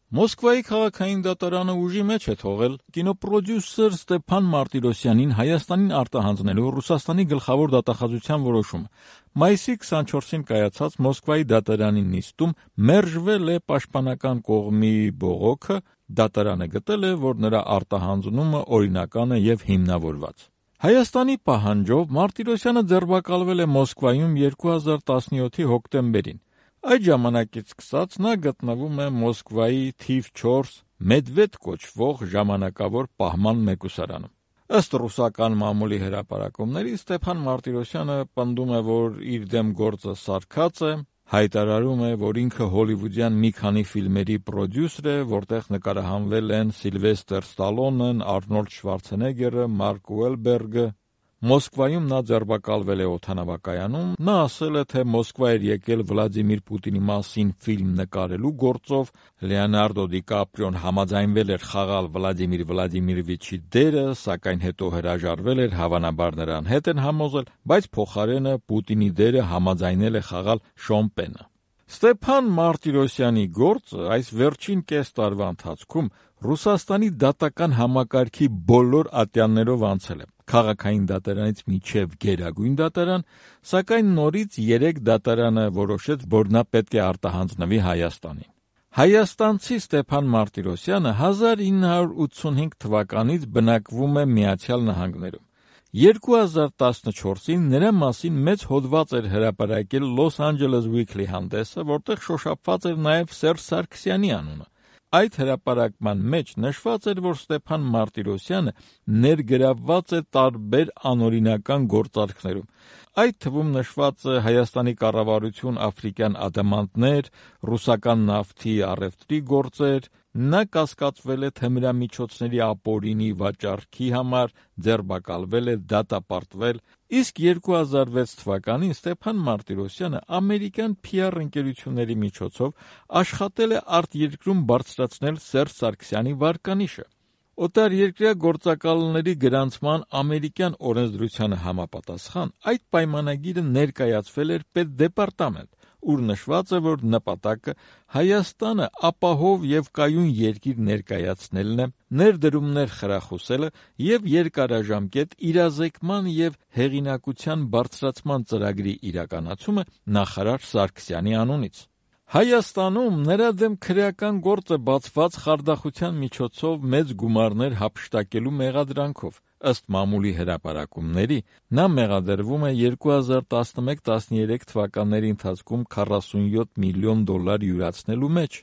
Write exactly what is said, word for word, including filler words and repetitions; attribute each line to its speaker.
Speaker 1: Մոսկվայի քաղաքային դատարանը ուժի մեջ է թողել կինոպրոդյուսեր Ստեփան Մարտիրոսյանին Հայաստանին արտահանձնելու Ռուսաստանի գլխավոր դատախազության որոշումը։ Մայիսի քսանչորսին կայացած Մոսկվայի դատարանի նիստում մերժվել է պաշտպանական կողմի բողոքը, դատարանը գտել է, որ նրա արտահանձնումը օրինական է և հիմնավորված։ Հայաստանի պահանջով Մարտիրոսյանը ձերբակալվել է Մոսկվայում երկու հազար տասնյոթի հոկտեմբերին։ Այդ ժամանակից սկսած նա գտնվում է Մոսկվայի թիվ չորս Մեդվեդ կոչվող ժամանակավոր պահման մեկուսարանում։ Ըստ ռուսական մամուլի հրապարակումների Ստեփան Մարտիրոսյանը պնդում է, որ իր դեմ գործը սարքած է, հայտարարում է, որ ինքը հոլիվուդյան մի քանի ֆիլմերի պրոդյուսեր է, որտեղ նկարահանվել են Սիլվեստր Ստալոնեն, Արնոլդ Շվարցենեգգերը, Մարկ Ուելբերգը։ Մոսկվայում նա ձերբակալվել է օդանավակայանում, նա ասել է, թե Մոսկվա էր եկել Վլադիմիր Պուտինի մասին ֆիլմ նկարելու գործով, Լեոնարդո Դիկապրիոն համաձայնվել էր խաղալ Վլադիմիր Վլադիմիրովիչի դերը, սակայն հետո հրաժարվել էր, հավանաբար նրան հետ են համոզել, բայց փոխարենը Պուտինի դերը համաձայնել է խաղալ Շոն Պենը։ Ստեփան Մարտիրոսյանի գործը այս վերջին կես տարվա ընթացքում Ռուսաստանի դատական համակարգի բոլոր ատյաններով անցել է, քաղաքային դատարանից մինչև գերագույն դատարան, սակայն նորից երեք դատարանը որոշեց, որ նա պետք է արտահանձնվի Հայաստանին։ Հայաստանցի Ստեփան Մարտիրոսյանը հազար ինը հարյուր ութսունհինգ թվականից բնակվում է Միացյալ Նահանգներում։ երկու հազար տասնչորսին նրա մասին մեծ հոդված էր հրապարակել Los Angeles Weekly հանդեսը, որտեղ շոշափված էր նաև Սերժ Սարգսյանի անունը։ Այդ հրապարակման մեջ նշված էր, որ Ստեփան Մարտիրոսյանը ներգրավված է տարբեր անօրինական գործարքներում։ Այդ թվում նշված է Հայաստանի կառավարություն աֆրիկյան ադամանդներ, ռուսական նավթի առևտրի գործեր, նա կասկածվել է թմրամիջոցների ապօրինի վաճառքի համար, ձերբակալվել է, դատապարտվել, իսկ երկու հազար վեց թվականին Ստեփան Մարտիրոսյանը ամերիկյան փի ար ընկերությունների միջոցով աշխատել է արտերկրում բարձրացնել Սերժ Սարգսյանի վարկանիշը։ Օտարերկրյա գործակալների գրանցման ամերիկյան օրենսդրությանը համապատասխան այդ պայմանագիրը ներկայացվել էր պետդեպարտամենտ, ուր նշված է, որ նպատակը Հայաստանը ապահով և կայուն երկիր ներկայացնելն է, ներդրումներ խրախուսելը և երկարաժամկետ իրազեկման և հեղինակության բարձրացման ծրագրի իրականացումը նախարար Սարգսյանի անունից։ Հայաստանում նրա դեմ քրեական գործ է բացված խարդախության միջոցով մեծ գումարներ հափշտակելու մեղադրանքով։ Ըստ մամուլի հրապարակումների, նա մեղադրվում է երկու հազար տասնմեկ տասներեք թվականների ընթացքում քառասունյոթ միլիոն դոլար յուրացնելու մեջ։